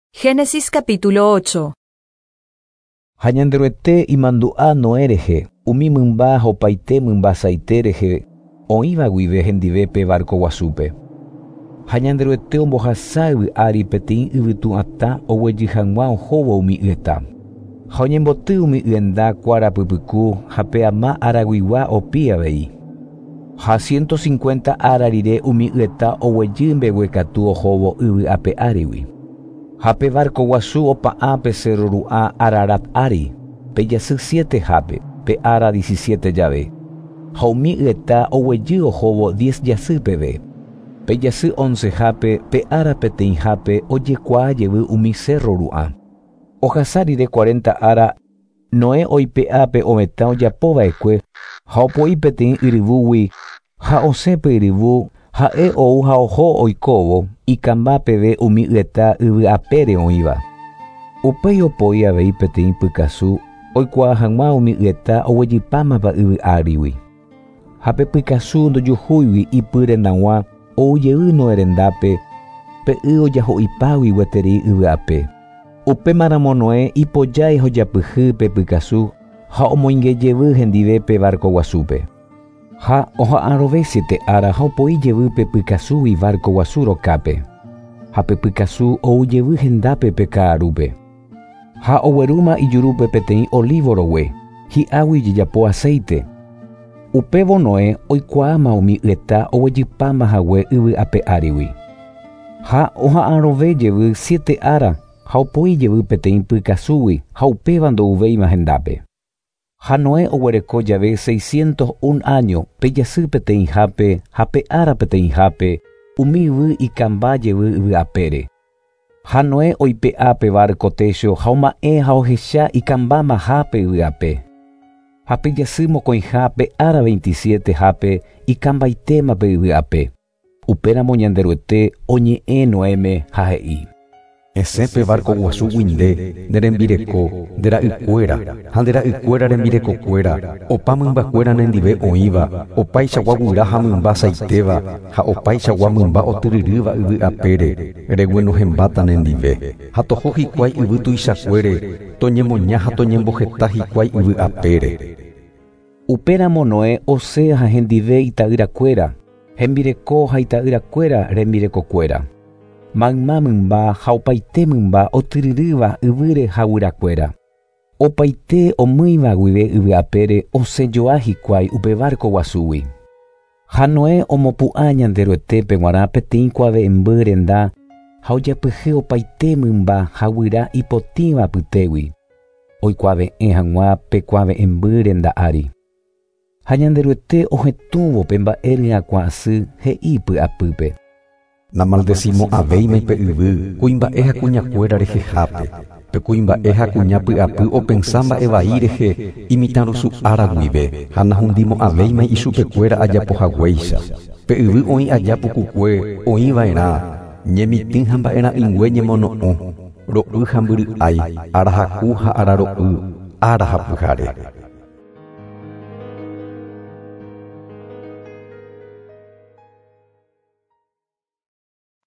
Génesis capítulo 8. Ha Ñanderuete imandu'a Noé rehe, umi mymba ha opaite mymba saite rehe oĩva guive hendive pe barco guasúpe. Ha Ñanderuete ombohasa yvy ári peteĩ yvytu atã oguejy hag̃ua ohóvo umi yeta. Ha oñemboty umi yenda kuára pypyku ha pe ama araguigua opi avei. Ha 150 ára rire umi yeta oguejy mbeguekatu ohóvo yvy ape árigui. Ha pe barco guasu opa'ã pe cerro ru'ã Ararat ári, pe jasy 7 hápe, pe ára 17 jave. Ha umi yeta oguejy ohóvo 10 jasy peve. Pe jasy 11 hápe, pe ára peteĩhápe ojekuaa jevy umi cerro ru'ã. Ohasa rire 40 ára, Noé oipe'a pe ovetã ojapova'ekue ha opoi peteĩ yryvúgui ha osẽ pe yryvu ha'e ou ha oho oikóvo ikamba peve umi yeta yvy apére oĩva. Upéi opoi avei peteĩ pykasu oikuaa hag̃ua umi yeta oguejypámava yvy árigui. Ha pe pykasu ndojuhúigui ipy rendag̃ua oujey Noé rendápe pe y ojaho'ipágui gueteri yvy ape. Upémaramo Noé ipojái ha ojapyhy pe pykasu ha omoingejevy hendive pe barco guasúpe. Ha oha'arõve 7 ára ha opoi jevy pe pykasúgui barco guasu rokápe. Ha pe pykasu oujevy hendápe pe ka'arúpe. Ha oguerúma ijurúpe peteĩ olivo rogue, hi'águi ojejapo aceite. Upévo Noé oikuaáma umi yeta oguejypáma hague yvy ape árigui. Ha oha'arõve jevy 7 ára ha opoi jevy peteĩ pykasúgui ha upéva ndouvéima hendápe. Ha Noé oguereko jave 601 año pe jasy peteĩhápe ha pe ára peteĩhápe umi yvy ikamba jevy yvy apére. Ha Noé oipe'a pe barco techo ha oma'ẽ ha ohecha ikambamahápe yvy ape. Ha pe jasy mokõiha pe ára 27 hápe ikambaitéma pe yvy ape. Upéramo Ñanderuete oñe'ẽ Noéme ha he'i: Esẽ pe barco guasúgui nde, nde rembireko, nde ra'ykuéra, ha nde ra'ykuéra rembirekokuéra, opa mymbakuéra nendive oĩva, opaichagua guyra ha mymba saitéva, ha opaichagua mymba otyryrýva yvy apére, reguenohẽmbáta nendive. Ha toho hikuái yvy tuichakuére, toñemoña ha toñemboheta hikuái yvy apére. Upéramo Noé osẽ ha hendive ita'yrakuéra, hembireko ha ita'yrakuéra rembirekokuéra. Mayma mymba ha opaite mymba otyryrýva yvýre ha guyrakuéra. Opaite omýiva guive yvy apére osẽjoa hikuái upe barco guasúgui. Ha Noé omopu'ã Ñanderuetépe g̃uarã peteĩ kuave'ẽmby renda ha ojapyhy opaite mymba ha guyra ipotĩva apytégui, oikuave'ẽ hag̃ua pe kuave'ẽmby renda ári. Ha Ñanderuete ohetũvo pe mba'e ryakuã asy he'i py'apýpe: Namaldecimo'ãvéima pe yvy kuimba'e ha kuñakuéra rehehápe. Pe kuimba'e ha kuña py'apy opensa mba'e vai rehe imitãrusu ára guive ha nahundimo'ãvéima ichupekuéra ajapohaguéicha. Pe yvy oĩ aja pukukue oĩva'erã ñemitỹ ha mba'era'ỹngue ñemono'õ, ro'y ha mbyry'ái, arahaku ha araro'y, ára ha pyhare.